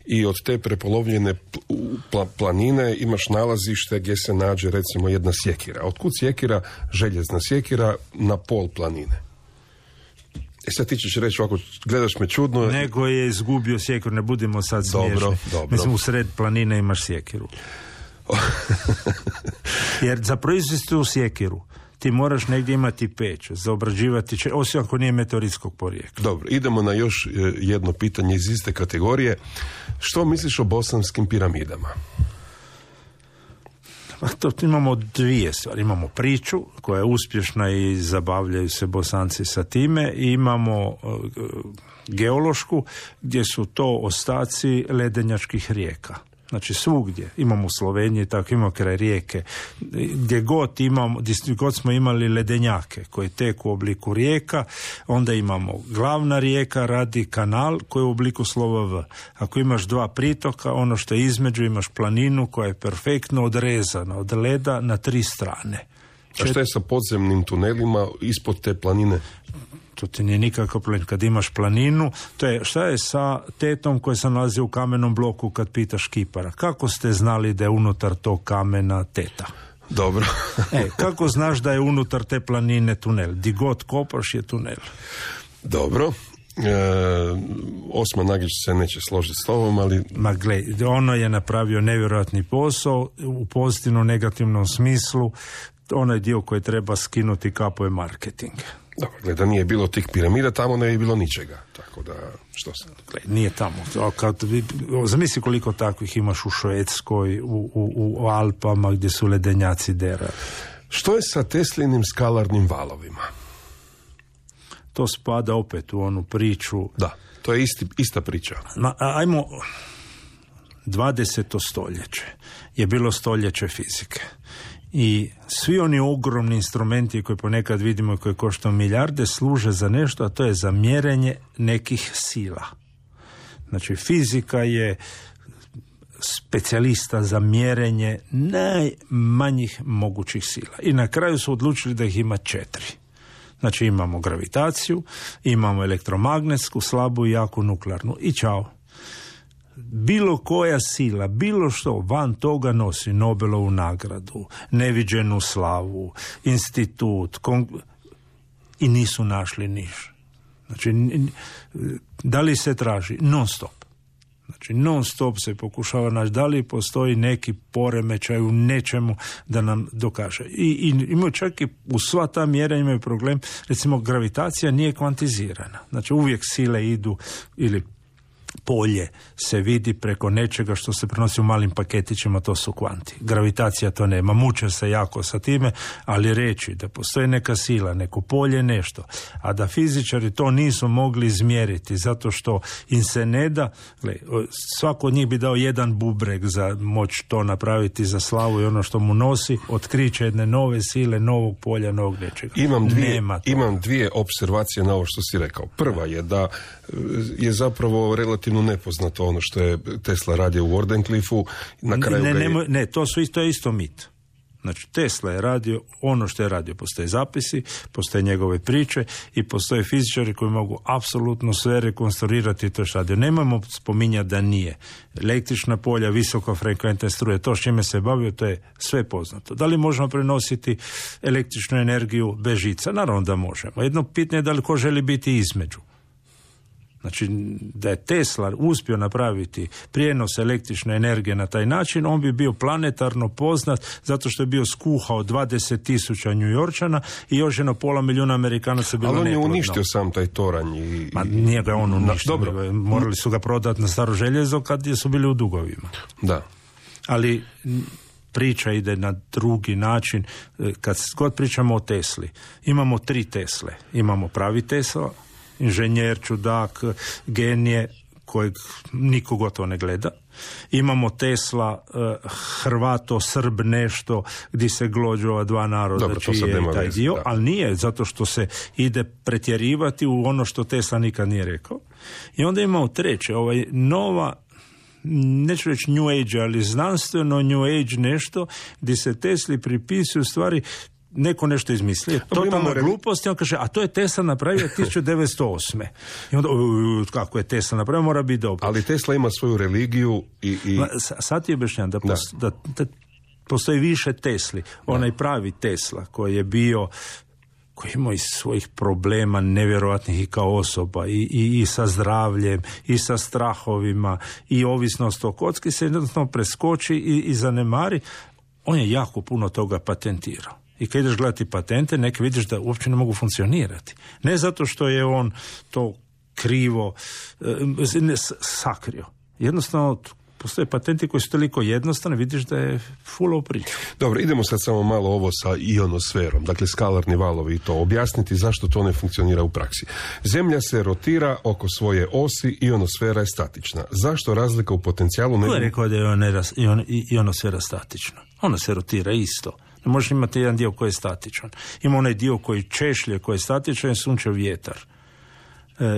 i od te prepolovljene planine imaš nalazište gdje se nađe recimo jedna sjekira. Otkud sjekira? Željezna sjekira na pol planine. Sad ti ćeš reći ovako, gledaš me čudno. Nego je izgubio sjekiru, ne budemo sad smiješni. Dobro. Mislim, u sred planine imaš sjekiru. Jer za proizvesti tu sjekiru ti moraš negdje imati peć, za obrađivati, osim ako nije meteoritskog porijekla. Dobro, idemo na još jedno pitanje iz iste kategorije. Što misliš o bosanskim piramidama? To imamo dvije stvari. Imamo priču koja je uspješna i zabavljaju se Bosanci sa time i imamo geološku gdje su to ostaci ledenjačkih rijeka. Znači svugdje, imamo u Sloveniji, tako imamo kraj rijeke, gdje god smo imali ledenjake koji teku u obliku rijeka, onda imamo glavna rijeka radi kanal koji je u obliku slova V. Ako imaš dva pritoka, ono što je između imaš planinu koja je perfektno odrezana od leda na 3 strane. A što je sa podzemnim tunelima ispod te planine? To ti nije nikakav problem. Kad imaš planinu, šta je sa tetom koja se nalazi u kamenom bloku kad pitaš kipara? Kako ste znali da je unutar tog kamena teta? Dobro. Kako znaš da je unutar te planine tunel? Di god kopaš je tunel. Dobro. Osman Nagić se neće složiti s tobom, ali... Ma gle, ono je napravio nevjerojatni posao u pozitivnom, negativnom smislu. Onaj dio koji treba skinuti kapo je marketing. Dobro, da nije bilo tih piramida, tamo ne bi bilo ničega. Tako da, što se... Nije tamo. Zamisli koliko takvih imaš u Švedskoj, u Alpama gdje su ledenjaci dera. Što je sa Teslinim skalarnim valovima? To spada opet u onu priču. Da, to je ista priča. Ajmo, 20. stoljeće je bilo stoljeće fizike. I svi oni ogromni instrumenti koje ponekad vidimo i koje koštaju milijarde služe za nešto, a to je za mjerenje nekih sila. Znači fizika je specijalista za mjerenje najmanjih mogućih sila. I na kraju su odlučili da ih ima 4. Znači imamo gravitaciju, imamo elektromagnetsku, slabu i jaku nuklearnu. I čao. Bilo koja sila, bilo što van toga nosi Nobelovu nagradu, neviđenu slavu, institut i nisu našli niš. Znači, da li se traži? Non stop. Znači, non stop se pokušava naći da li postoji neki poremećaj u nečemu da nam dokaže. I imaju čak i u sva ta mjerenja imaju problem. Recimo, gravitacija nije kvantizirana. Znači, uvijek sile idu ili polje se vidi preko nečega što se prenosi u malim paketićima, to su kvanti. Gravitacija to nema, muče se jako sa time, ali reći da postoji neka sila, neko polje, nešto, a da fizičari to nisu mogli izmjeriti zato što im se ne da, svako od njih bi dao jedan bubreg za moć to napraviti za slavu i ono što mu nosi, otkriće jedne nove sile, novog polja, novog nečega. Imam dvije observacije na ovo što si rekao. Prva je da je zapravo relativno nepoznato ono što je Tesla radio u Wardenclyffu. Na kraju to je isto mit. Znači, Tesla je radio ono što je radio. Postoje zapisi, postoje njegove priče i postoje fizičari koji mogu apsolutno sve rekonstruirati to što radio. Nemojmo spominjati da nije. Električna polja, visokofrekventne struje, to s čime se bavio, to je sve poznato. Da li možemo prenositi električnu energiju bez žica? Naravno da možemo. Jedno pitanje je da li ko želi biti između. Znači, da je Tesla uspio napraviti prijenos električne energije na taj način, on bi bio planetarno poznat zato što je bio skuhao 20,000 Njujorčana i još 1,5 milijuna Amerikana se bilo neplodno. Ali on je uništio sam taj toranj. Ma nije ga on uništio. Morali su ga prodati na staro željezo kad su bili u dugovima. Da. Ali priča ide na drugi način. Kad god pričamo o Tesli, imamo 3 Tesle. Imamo pravi Tesla, inženjer, čudak, genije kojeg niko gotovo ne gleda. Imamo Tesla, Hrvato, Srb nešto, gdje se glođu ova dva naroda. Dobro, čiji je taj dio, da. Ali nije, zato što se ide pretjerivati u ono što Tesla nikad nije rekao. I onda imamo treće, nova, neću reći New Age, ali znanstveno New Age nešto, gdje se Tesli pripisuju stvari. Neko nešto izmislio, totalna glupost, i on kaže, a to je Tesla napravio 1908. I onda, kako je Tesla napravio, mora biti dobro. Ali Tesla ima svoju religiju i... Sad ti objašnjam da postoji više Tesli. Onaj pravi Tesla koji je bio, koji ima iz svojih problema nevjerojatnih i kao osoba, i sa zdravljem, i sa strahovima, i ovisnost o kocki se jednostavno preskoči i zanemari. On je jako puno toga patentirao. I kad ideš gledati patente, neke vidiš da uopće ne mogu funkcionirati. Ne zato što je on to krivo sakrio. Jednostavno, postoje patenti koji su toliko jednostavni, vidiš da je full priča. Dobro, idemo sad samo malo ovo sa ionosferom, dakle skalarni valovi i to. Objasniti zašto to ne funkcionira u praksi. Zemlja se rotira oko svoje osi, ionosfera je statična. Zašto razlika u potencijalu... Ko je rekao da je ionosfera statična? Ona se rotira isto. Ne možeš imati jedan dio koji je statičan. Ima onaj dio koji češlje, koji je statičan, je sunčev vjetar.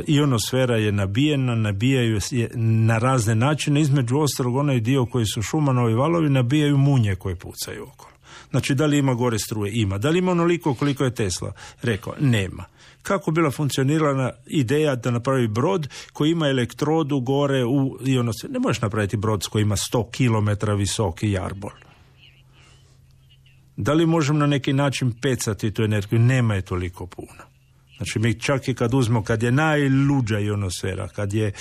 Ionosfera je nabijaju je na razne načine, između ostalog onaj dio koji su Schumanovi valovi nabijaju munje koje pucaju okolo. Znači, da li ima gore struje? Ima. Da li ima onoliko koliko je Tesla rekao? Nema. Kako bila funkcionirana ideja da napravi brod koji ima elektrodu gore u ionosferu? Ne možeš napraviti brod koji ima 100 km visoki jarbol. Da li možemo na neki način pecati tu energiju? Nema je toliko puno. Znači, mi čak i kad uzmemo, kad je najluđa ionosfera, kad je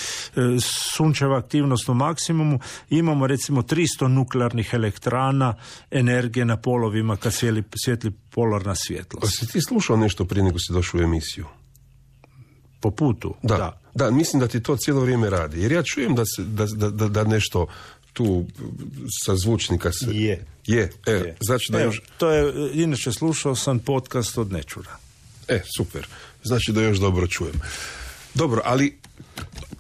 sunčeva aktivnost u maksimumu, imamo recimo 300 nuklearnih elektrana energije na polovima kad svijetli polarna svjetlost. Si ti slušao nešto prije nego si došao u emisiju? Po putu? Da, mislim da ti to cijelo vrijeme radi. Jer ja čujem da nešto tu sa zvučnika se... Je. Znači da još... To je, inače slušao sam podcast od Nečura. Super. Znači da još dobro čujem. Dobro, ali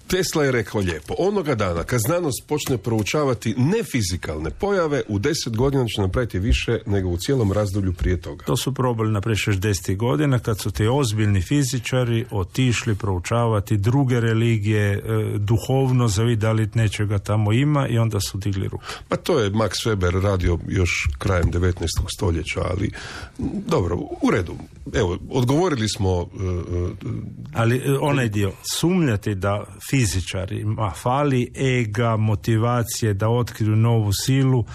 Tesla je rekao lijepo, onoga dana kad znanost počne proučavati nefizikalne pojave, u 10 godina će napraviti više nego u cijelom razdoblju prije toga. To su probali napraviti 60 godina kad su ti ozbiljni fizičari otišli proučavati druge religije, duhovno, zavid da li nečega tamo ima, i onda su digli ruku. Pa to je Max Weber radio još krajem 19. stoljeća, ali dobro, u redu. Evo, odgovorili smo... Ali onaj dio, sumnjati da fizičarima fali ega, motivacije da otkriju novu silu,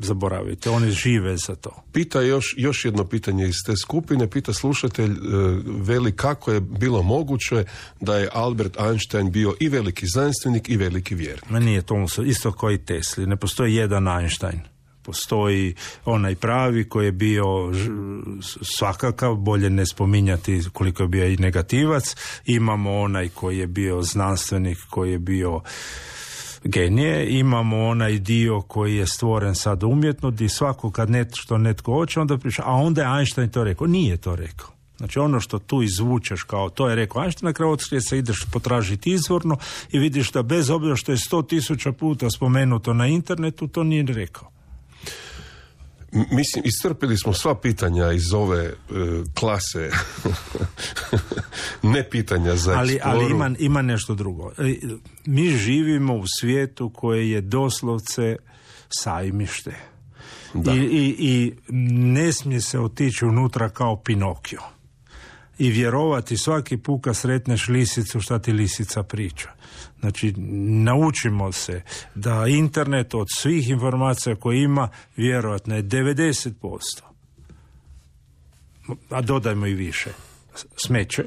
zaboravite, oni žive za to. Pita još jedno pitanje iz te skupine, pita slušatelj, veli kako je bilo moguće da je Albert Einstein bio i veliki znanstvenik i veliki vjernik. Ma nije to isto kao i Tesli, ne postoji jedan Einstein. Postoji onaj pravi koji je bio svakakav, bolje ne spominjati koliko je bio i negativac. Imamo onaj koji je bio znanstvenik, koji je bio genije. Imamo onaj dio koji je stvoren sad umjetno, gdje svako kad netko hoće, onda priča, a onda je Einstein to rekao. Nije to rekao. Znači ono što tu izvučeš kao to je rekao Einstein, na kraju otkrije se ideš potražiti izvorno i vidiš da bez obzira što je 100.000 puta spomenuto na internetu, to nije rekao. Mislim, iscrpili smo sva pitanja iz ove klase ne pitanja za eksploru. Ali ima nešto drugo. Mi živimo u svijetu koje je doslovce sajmište. I ne smije se otići unutra kao Pinokio i vjerovati svaki put kad sretneš lisicu šta ti lisica priča. Znači, naučimo se da internet od svih informacija koje ima vjerojatno je 90%, a dodajmo i više, smeće.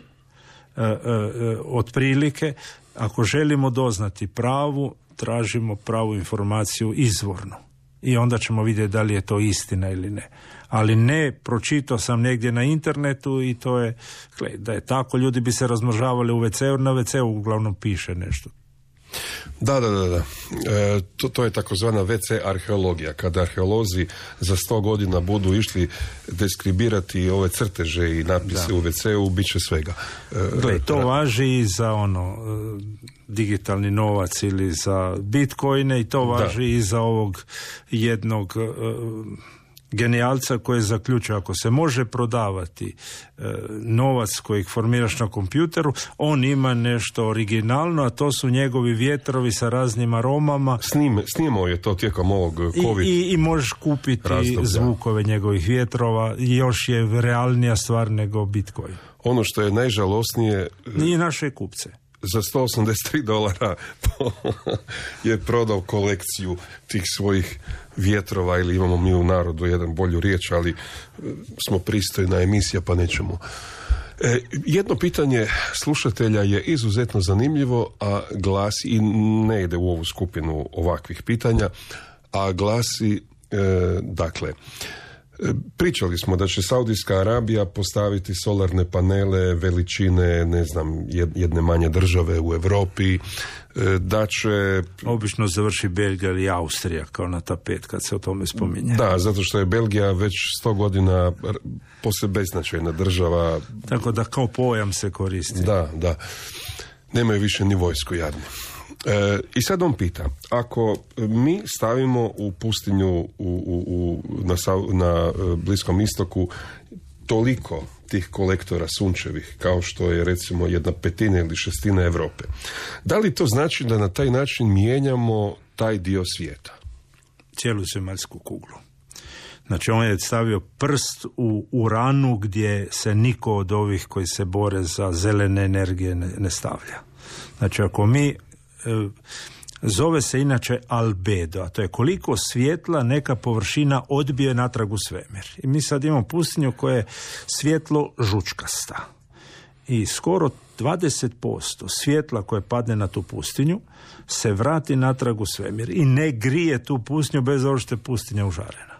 Otprilike, ako želimo doznati pravu, tražimo pravu informaciju izvorno i onda ćemo vidjeti da li je to istina ili ne. Ali ne, pročitao sam negdje na internetu i to je, da je tako, ljudi bi se razmnožavali u WC-u, na WC-u uglavnom piše nešto. Da. To je takozvana WC arheologija. Kada arheolozi za 100 godina budu išli deskribirati ove crteže i napise u WC-u, bit će svega. To važi i za digitalni novac ili za bitcoine i to važi i za ovog jednog genijalca koji je zaključio ako se može prodavati novac kojeg formiraš na kompjuteru, on ima nešto originalno, a to su njegovi vjetrovi sa raznim aromama. Snimao je to tijekom ovog COVID i možeš kupiti razdoblja. Zvukove njegovih vjetrova i još je realnija stvar nego Bitcoin. Ono što je najžalosnije... I naše kupce. Za $183 je prodao kolekciju tih svojih vjetrova, ili imamo mi u narodu jedan bolju riječ, ali smo pristojna emisija pa nećemo. Jedno pitanje slušatelja je izuzetno zanimljivo, a glasi, i ne ide u ovu skupinu ovakvih pitanja, a glasi, dakle, pričali smo da će Saudijska Arabija postaviti solarne panele veličine, ne znam, jedne manje države u Europi, da će... Obično završi Belgija ili Austrija kao na tapet kad se o tome spominje. Da, zato što je Belgija već 100 godina posve beznačajna država. Tako da kao pojam se koristi. Da. Nemaju više ni vojsku, jadni. I sad on pita, ako mi stavimo u pustinju na Bliskom istoku toliko tih kolektora sunčevih, kao što je recimo 1/5 ili 1/6 Europe, da li to znači da na taj način mijenjamo taj dio svijeta? Cijelu zemaljsku kuglu. Znači on je stavio prst u ranu gdje se niko od ovih koji se bore za zelene energije ne stavlja. Znači ako mi zove se inače albedo, a to je koliko svjetla neka površina odbije natrag u svemir. I mi sad imamo pustinju koja je svjetlo žučkasta. I skoro 20% svjetla koje padne na tu pustinju se vrati natrag u svemir i ne grije tu pustinju bez obzira što je pustinja užarena.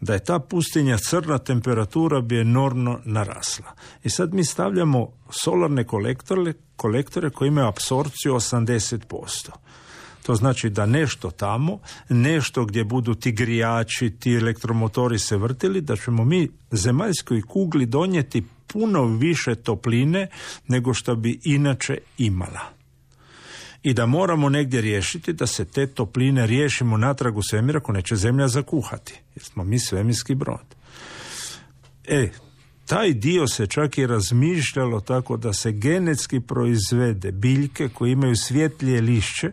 Da je ta pustinja crna, temperatura bi enormno narasla. I sad mi stavljamo solarne kolektore koji imaju apsorpciju 80%. To znači da nešto tamo, nešto gdje budu ti grijači, ti elektromotori se vrtili, da ćemo mi zemaljskoj kugli donijeti puno više topline nego što bi inače imala. I da moramo negdje riješiti da se te topline riješimo natrag u svemir ako neće zemlja zakuhati. Jer smo mi svemirski brod. Taj dio se čak i razmišljalo tako da se genetski proizvede biljke koje imaju svjetlije lišće,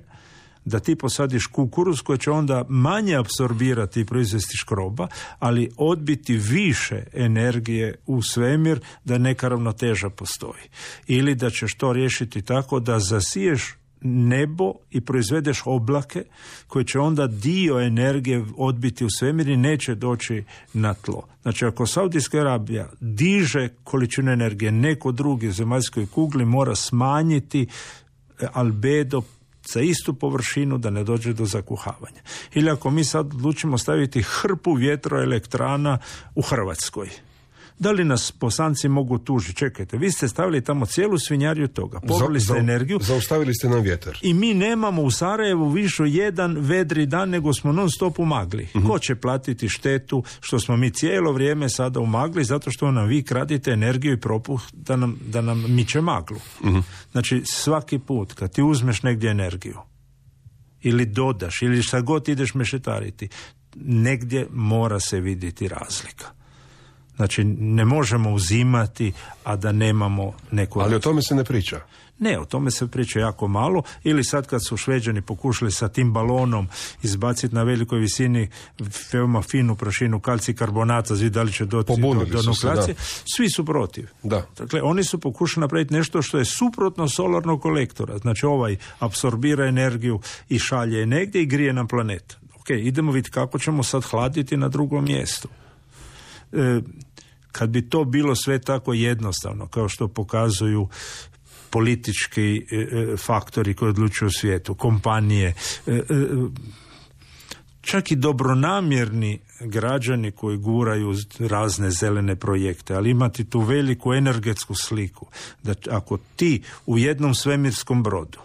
da ti posadiš kukuruz koji će onda manje apsorbirati i proizvesti škroba, ali odbiti više energije u svemir da neka ravnoteža postoji. Ili da ćeš to riješiti tako da zasiješ nebo i proizvedeš oblake koji će onda dio energije odbiti u svemir i neće doći na tlo. Znači ako Saudijska Arabija diže količinu energije, neko drugi u zemaljskoj kugli mora smanjiti albedo za istu površinu da ne dođe do zakuhavanja. Ili ako mi sad odlučimo staviti hrpu vjetroelektrana u Hrvatskoj, da li nas Bosanci mogu tužiti? Čekajte, vi ste stavili tamo cijelu svinjariju toga, pobrali ste energiju. Zaustavili ste nam vjetar. I mi nemamo u Sarajevu više jedan vedri dan, nego smo non stop u magli. Ko će platiti štetu što smo mi cijelo vrijeme sada u magli, zato što nam vi kradite energiju i propuh da nam miče maglu. Znači svaki put kad ti uzmeš negdje energiju ili dodaš ili šta god ideš mešetariti, negdje mora se vidjeti razlika. Znači, ne možemo uzimati, a da nemamo neku... Ali o tome se ne priča. Ne, o tome se priča jako malo. Ili sad kad su Šveđani pokušali sa tim balonom izbaciti na velikoj visini veoma finu prašinu kalcij karbonata, da li će doći do nukleacije, svi su protiv. Da. Dakle, oni su pokušali napraviti nešto što je suprotno solarnog kolektora. Znači, ovaj apsorbira energiju i šalje je negdje i grije nam planet. Ok, idemo vidjeti kako ćemo sad hladiti na drugom mjestu. Kad bi to bilo sve tako jednostavno, kao što pokazuju politički faktori koji odlučuju u svijetu, kompanije, čak i dobronamjerni građani koji guraju razne zelene projekte, ali imati tu veliku energetsku sliku, da ako ti u jednom svemirskom brodu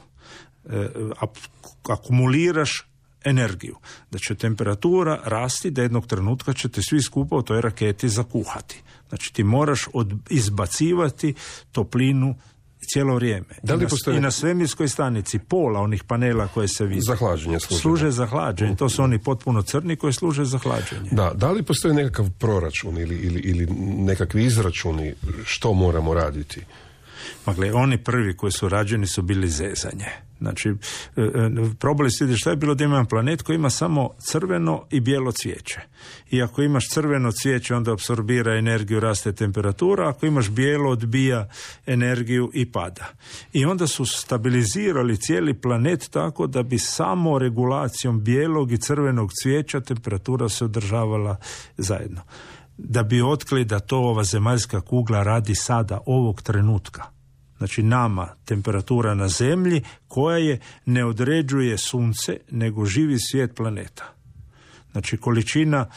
akumuliraš energiju, da će temperatura rasti, da jednog trenutka ćete svi skupa u toj raketi zakuhati. Znači ti moraš izbacivati toplinu cijelo vrijeme. I na svemirskoj stanici pola onih panela koje se vide služe za hlađenje. To su oni potpuno crni koji služe za hlađenje. Da li postoji nekakav proračun ili nekakvi izračuni što moramo raditi? Gle, oni prvi koji su rađeni su bili zezanje. Znači, probali se vidjeti šta je bilo da imam planet koji ima samo crveno i bijelo cvijeće. I ako imaš crveno cvijeće, onda apsorbira energiju, raste temperatura, ako imaš bijelo, odbija energiju i pada. I onda su stabilizirali cijeli planet tako da bi samo regulacijom bijelog i crvenog cvijeća temperatura se održavala zajedno. Da bi otkrili da to ova zemaljska kugla radi sada, ovog trenutka. Znači nama temperatura na zemlji koja je ne određuje sunce nego živi svijet planeta. Znači količina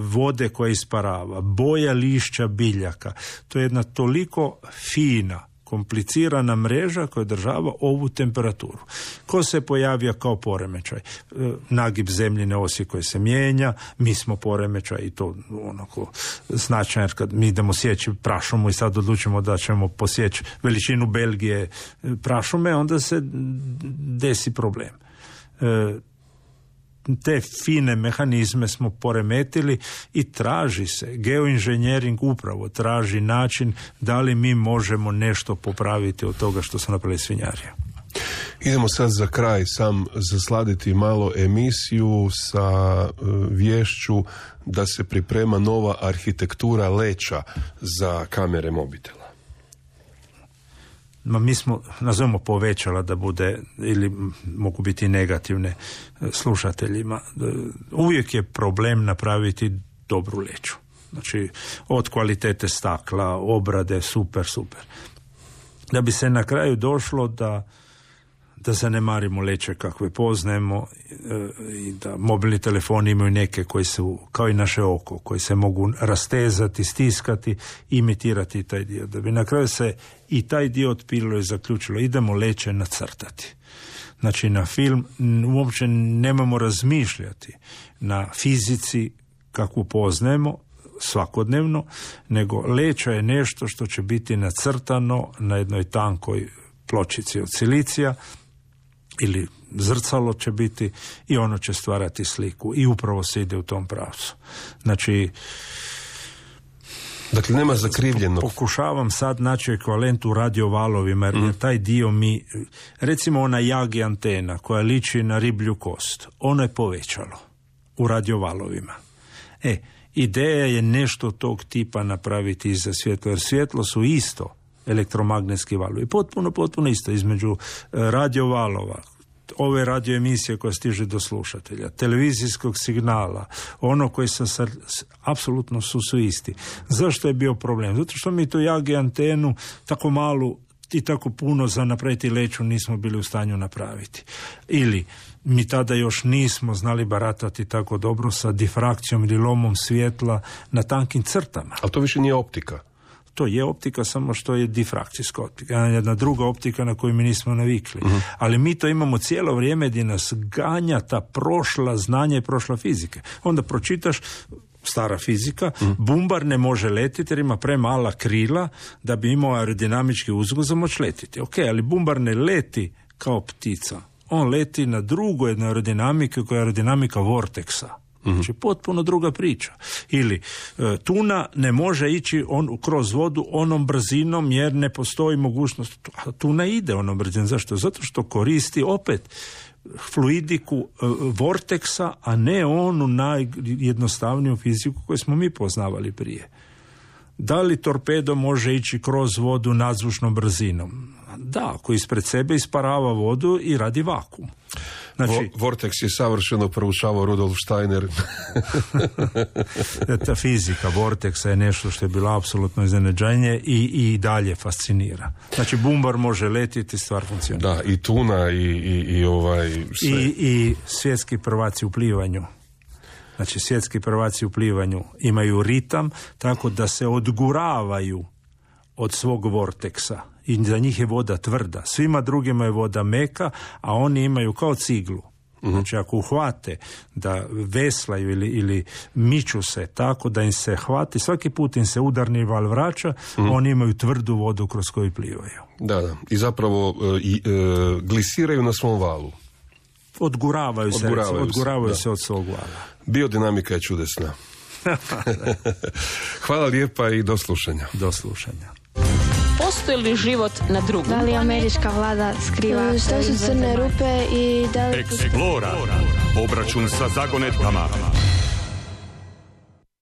vode koja isparava, boja lišća biljaka, to je jedna toliko fina, komplicirana mreža koja održava ovu temperaturu. Ko se pojavio kao poremećaj? Nagib zemljine osi koje se mijenja, mi smo poremećaj i to onako značajno, jer kad mi idemo sjeći prašumu i sad odlučimo da ćemo posjeći veličinu Belgije prašume, onda se desi problem. Te fine mehanizme smo poremetili i traži se, geoinženjering upravo traži način da li mi možemo nešto popraviti od toga što su napravili svinjarije. Idemo sad za kraj sam zasladiti malo emisiju sa viješću da se priprema nova arhitektura leća za kamere mobitela. Mi smo, nazovemo povećala da bude, ili mogu biti negativne slušateljima. Uvijek je problem napraviti dobru leću. Znači, od kvalitete stakla, obrade, super. Da bi se na kraju došlo da zanemarimo leće kakve poznajemo i da mobilni telefoni imaju neke koji su, kao i naše oko, koji se mogu rastezati, stiskati, imitirati taj dio. Da bi na kraju se i taj dio otpililo i zaključilo, idemo leće nacrtati. Znači na film uopće nemamo razmišljati na fizici kakvu poznajemo svakodnevno, nego leća je nešto što će biti nacrtano na jednoj tankoj pločici od silicija ili zrcalo će biti i ono će stvarati sliku i upravo se ide u tom pravcu. Znači, dakle, nema zakrivljenog. Pokušavam sad naći ekvivalent u radiovalovima, jer taj dio mi, recimo ona Yagi antena koja liči na riblju kost, ono je povećalo u radiovalovima. Ideja je nešto tog tipa napraviti iza svjetla, jer svjetlo su isto elektromagnetski valovi. Potpuno isto između radiovalova, ove radioemisije koja stiže do slušatelja, televizijskog signala, ono koji apsolutno su isti. Zašto je bio problem? Zato što mi tu Yagi antenu tako malu i tako puno za napraviti leću nismo bili u stanju napraviti. Ili mi tada još nismo znali baratati tako dobro sa difrakcijom ili lomom svjetla na tankim crtama. Ali to više nije optika. To je optika, samo što je difrakcijska optika. Jedna druga optika na koju mi nismo navikli. Ali mi to imamo cijelo vrijeme gdje nas ganja ta prošla znanja i prošla fizika. Onda pročitaš stara fizika, bumbar ne može letiti jer ima premala krila da bi imao aerodinamički uzgoj za moć letiti. Ok, ali bumbar ne leti kao ptica. On leti na drugoj jednoj aerodinamike koja je aerodinamika vorteksa. Znači potpuno druga priča. Ili tuna ne može ići kroz vodu onom brzinom jer ne postoji mogućnost. A tuna ide onom brzinom. Zašto? Zato što koristi opet fluidiku vorteksa, a ne onu najjednostavniju fiziku koju smo mi poznavali prije. Da li torpedo može ići kroz vodu nadzvučnom brzinom? Da, ako ispred sebe isparava vodu i radi vakuum. Znači, Vortex je savršeno proučavao Rudolf Steiner. Ta fizika vorteksa je nešto što je bilo apsolutno iznenađenje i dalje fascinira. Znači, bumbar može letiti, stvar funkcionira. Da, i tuna i sve. I svjetski prvaci u plivanju. Znači, svjetski prvaci u plivanju imaju ritam tako da se odguravaju od svog vorteksa. I za njih je voda tvrda. Svima drugima je voda meka, a oni imaju kao ciglu. Znači, ako uhvate da veslaju ili miču se tako da im se hvati, svaki put im se udarni val vraća, oni imaju tvrdu vodu kroz koju plivaju. Da. I zapravo glisiraju na svom valu. Odguravaju se od svog vala. Biodinamika je čudesna. Hvala lijepa i do slušanja. Do slušanja. Postoji li život na drugom? Da li američka vlada skriva? Što su crne rupe i da li... Explora. Obračun sa zagonetkama.